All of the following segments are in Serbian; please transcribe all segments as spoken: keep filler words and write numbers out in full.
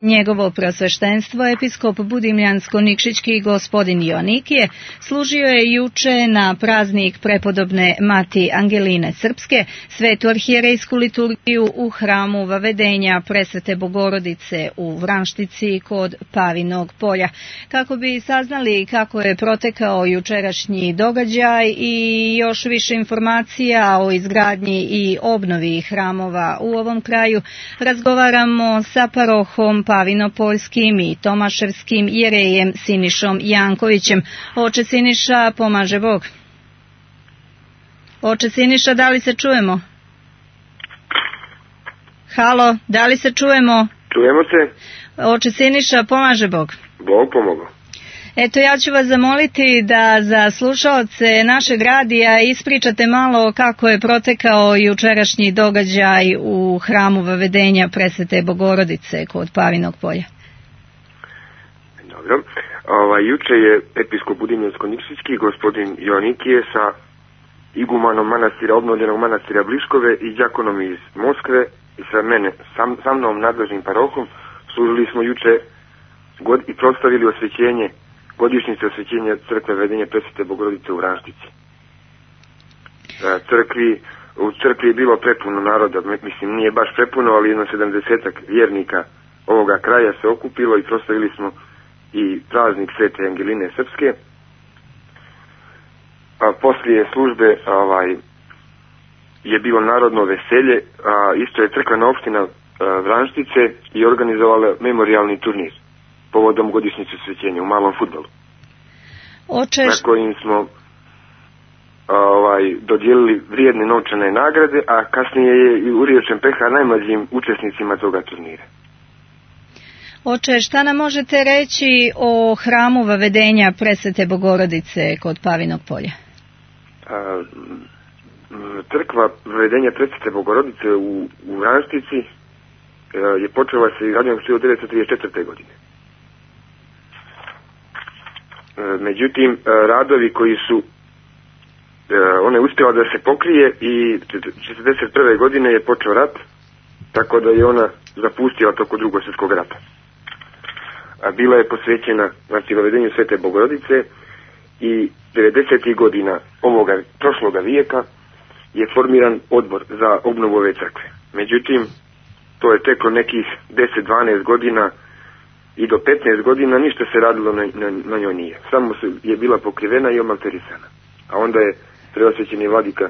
Njegovo prosveštenstvo, episkop Budimljansko-Nikšićki gospodin Joanikije, služio je juče na praznik prepodobne Mati Angeline Srpske, svetu arhijerejsku liturgiju u hramu Vavedenja Presvete Bogorodice u Vranštici kod Pavinog polja. Kako bi saznali kako je protekao jučerašnji događaj i još više informacija o izgradnji i obnovi hramova u ovom kraju, razgovaramo sa parohom Pavinopoljskim i Tomaševskim jerejem Sinišom Jankovićem. Oče Siniša, pomaže Bog. Oče Siniša, da li se čujemo? Halo, da li se čujemo? Čujemo se. Oče Siniša, pomaže Bog. Bog pomogao. Eto, ja ću vas zamoliti da za slušaoce našeg radija ispričate malo kako je protekao jučerašnji događaj u hramu Vavedenja Presvete Bogorodice kod Pavinog polja. Dobro. Ovaj, juče je episkop Budimljansko-Nikšićki gospodin Joanikije sa igumanom manastira, obnovljenog manastira Bliškove i đakonom iz Moskve i sa mene, sam, sa mnom nadležnim parohom, služili smo juče god i proslavili osvećenje godišnjice osvećenja crkve Vavedenja Presvete Bogorodice u Vranštici. Crkvi, u crkvi je bilo prepuno naroda, mislim nije baš prepuno, ali jedno sedamdesetak vjernika ovoga kraja se okupilo i proslavili smo i praznik Svete Angeline Srpske. A poslije službe ovaj, je bilo narodno veselje, a isto je crkvena opština Vranštice i organizovala memorijalni turnir povodom godišnjice osvećenja u malom fudbalu. Oče... na kojim smo ovaj, dodijelili vrijedne novčane nagrade, a kasnije je uriječen peha najmlađim učesnicima toga turnira. Oče, šta nam možete reći o hramu Vavedenja Presvete Bogorodice kod Pavinog polja? A, crkva Vavedenja Presvete Bogorodice u, u Vranštici je počela se izgradnjom hiljadu devetsto trideset četvrte. godine. Međutim, radovi koji su, ona je uspjela da se pokrije i četrdeset prve. godine je počeo rat, tako da je ona zapustila toko drugog svjetskog rata. A bila je posvećena, znači, Vavedenju Svete Bogorodice i devedesetih godina ovoga prošloga vijeka je formiran odbor za obnovu ove crkve. Međutim, to je teklo nekih deset do dvanaest godina i do petnaest godina ništa se radilo na, na, na njoj nije. Samo je bila pokrivena i omalterisana. A onda je preosvećeni vladika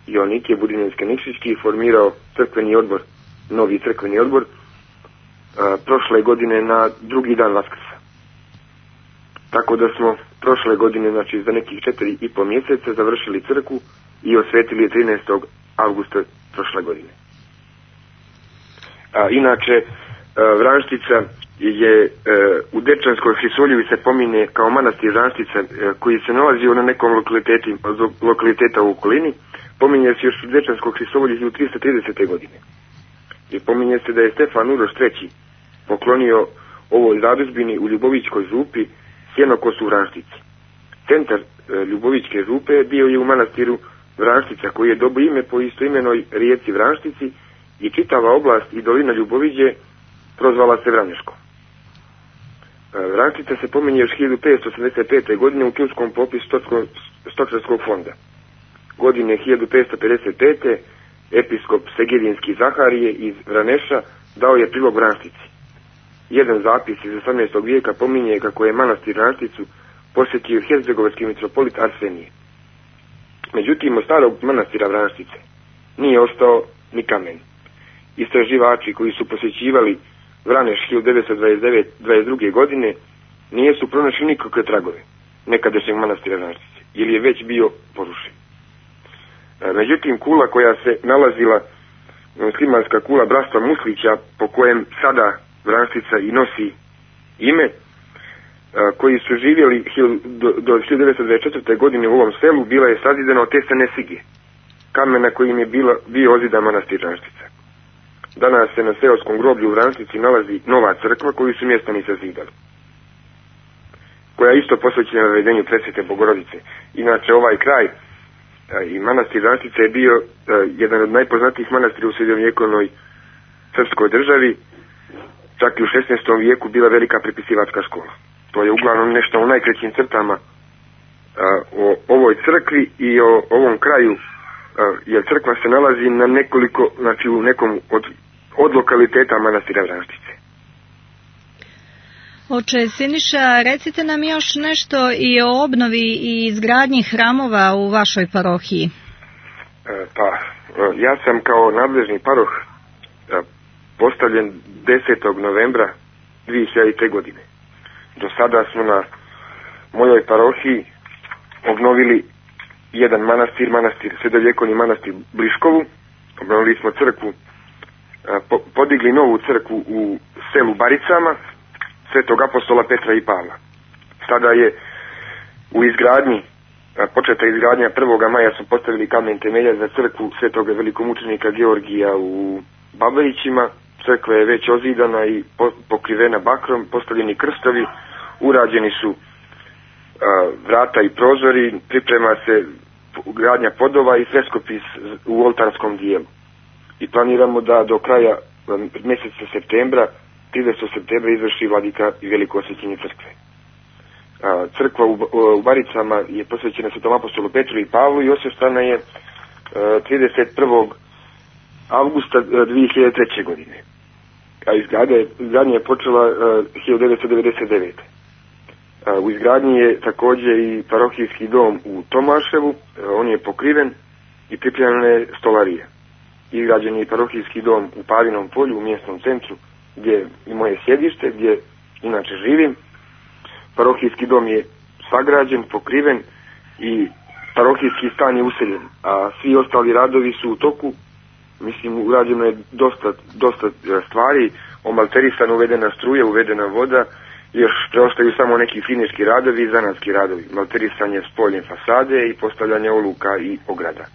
Joanikije Budimljansko-Nikšićki formirao crkveni odbor, novi crkveni odbor, a, prošle godine na drugi dan Vaskrsa. Tako da smo prošle godine, znači za nekih četiri i po mjeseca, završili crkvu i osvetili je trinaestog avgusta prošle godine. A, inače, a, Vranštica je e, u Dečanskoj Hrisoljevi se pominje kao manastir Vranštica e, koji se nalazio na nekom lokaliteta u okolini. Pominje se još u Dečanskoj Hrisoljevi u tristo tridesete. godine. I pominje se da je Stefan Uroš treći poklonio ovoj zadužbini u Ljubovićkoj župi sjenokos u Vranštici. Centar e, Ljubovićke župe bio je u manastiru Vranštica koji je dobio ime po istoimenoj rijeci Vranštici i čitava oblast i dolina Ljuboviđe prozvala se Vraneško. Vranštica se pominje još hiljadu petsto osamdeset pete. godine u Turskom popisu stočarskog fonda. Godine hiljadu petsto pedeset pete. episkop Segedinski Zaharije iz Vraneša dao je prilog Vranštici. Jedan zapis iz osamnaestog. vijeka pominje kako je manastir Vranšticu posjetio hercegovački mitropolit Arsenije. Međutim, od starog manastira Vranštice nije ostao ni kamen. Istraživači koji su posjećivali Vraneš hiljadu devetsto dvadeset druge. godine nije su pronašli nikakve tragove nekadašnjeg manastira Vranštice, ili je već bio porušen. Međutim, kula koja se nalazila, muslimanska kula bratstva Muslića, po kojem sada Vranštica i nosi ime, koji su živjeli do hiljadu devetsto dvadeset četvrte. godine u ovom selu, bila je sazidana od tesane sige, kamena kojim je bila, bio ozidan manastir Vranštica. Danas se na seoskom groblju u Vranštici nalazi nova crkva koju su mještani sazidali, koja je isto posvećena Vavedenju Presvete Bogorodice. Inače, ovaj kraj i manastir Vranštice je bio jedan od najpoznatijih manastira u srednjovjekovnoj srpskoj državi čak i u šesnaestom vijeku bila velika prepisivačka škola. To je uglavnom nešto u najkraćim crtama a, o ovoj crkvi i o ovom kraju, a, jer crkva se nalazi na nekoliko, znači u nekom od, od lokaliteta manastira Vranštice. Oče Siniša, recite nam još nešto i o obnovi i izgradnji hramova u vašoj parohiji. E, pa, ja sam kao nadležni paroh e, postavljen desetog novembra dvije hiljadite. godine. Do sada smo na mojoj parohiji obnovili jedan manastir, manastir, sredovjekovni manastir Bliškovu. Obnovili smo crkvu, po, podigli novu crkvu u selu Baricama, Svetog apostola Petra i Pavla. Sada je u izgradnji, početa izgradnja prvog maja su postavili kamen temelja za crkvu Svetog velikomučenika Georgija u Babajićima. Crkva je već ozidana i pokrivena bakrom, postavljeni krstovi, urađeni su a, vrata i prozori, priprema se gradnja podova i freskopis u oltarskom dijelu. I planiramo da do kraja mjeseca septembra, tridesetog septembra, izvrši vladika i veliko osvećenje crkve. A, crkva u, u Baricama je posvećena Svetom apostolu Petru i Pavlu i osveštana je a, trideset prvog avgusta dvije hiljadite treće. godine. A izgradnja je počela uh, hiljadu devetsto devedeset devete. Uh, u izgradnji je također i parohijski dom u Tomaševu, uh, on je pokriven i pripremljena je stolarija. Izgrađen je i parohijski dom u Pavinom polju, u mjesnom centru, gdje je moje sjedište, gdje inače živim. Parohijski dom je sagrađen, pokriven i parohijski stan je useljen, a svi ostali radovi su u toku. Mislim, urađeno je dosta, dosta stvari, omalterisana, uvedena struja, uvedena voda, još preostaju samo neki finiški radovi i zanatski radovi, malterisanje spoljne fasade i postavljanje oluka i ograda. E,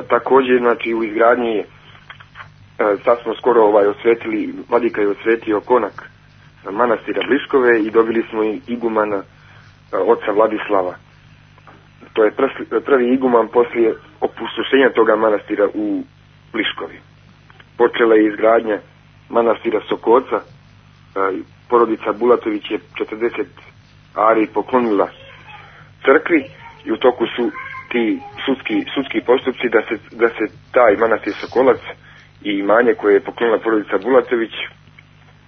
također, znači, u izgradnji je, e, sad smo skoro ovaj osvetili, vladika je osvetio konak manastira Bliškove i dobili smo i igumana e, oca Vladislava. To je prvi iguman poslije opustošenja toga manastira u Bliškovi. Počela je izgradnja manastira Sokoca. Porodica Bulatović je četrdeset ari poklonila crkvi i u toku su ti sudski, sudski postupci da se, da se taj manastir Sokolac i imanje koje je poklonila porodica Bulatović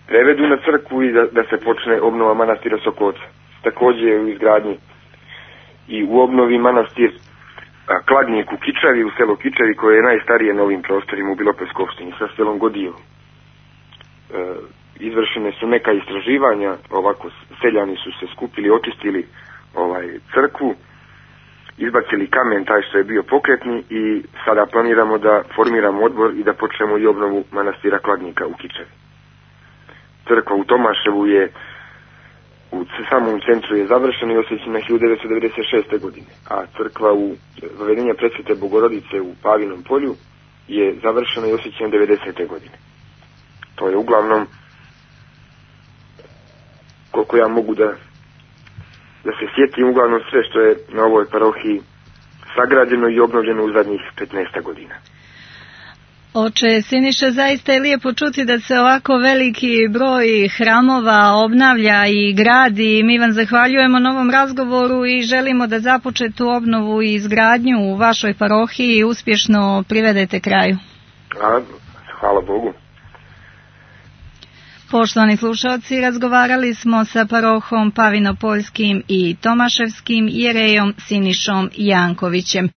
prevedu na crkvu i da, da se počne obnova manastira Sokoca. Također je u izgradnji i u obnovi manastir a, Kladnjik u Kičavi, u selo Kičavi, koje je najstarije na ovim prostorima u Bilopolskoj opštini sa selom Godijevom. E, izvršene su neka istraživanja, ovako seljani su se skupili, očistili ovaj crkvu, izbacili kamen taj što je bio pokretni i sada planiramo da formiramo odbor i da počnemo i obnovu manastira Kladnjika u Kičavi. Crkva u Tomaševu je u samom centru je završena i osvećena hiljadu devetsto devedeset šeste. godine, a crkva u Vavedenja Presvete Bogorodice u Pavinom polju je završena i osvećena devedesete. godine. To je uglavnom, koliko ja mogu da, da se sjetim, uglavnom sve što je na ovoj parohiji sagrađeno i obnovljeno u zadnjih petnaest godina. Oče Siniša, zaista je lijepo čuti da se ovako veliki broj hramova obnavlja i gradi. Mi vam zahvaljujemo na ovom razgovoru i želimo da započetu obnovu i izgradnju u vašoj parohiji uspješno privedete kraju. A, hvala Bogu. Poštovani slušalci, razgovarali smo sa parohom Pavinopoljskim i Tomaševskim jerejom Sinišom Jankovićem.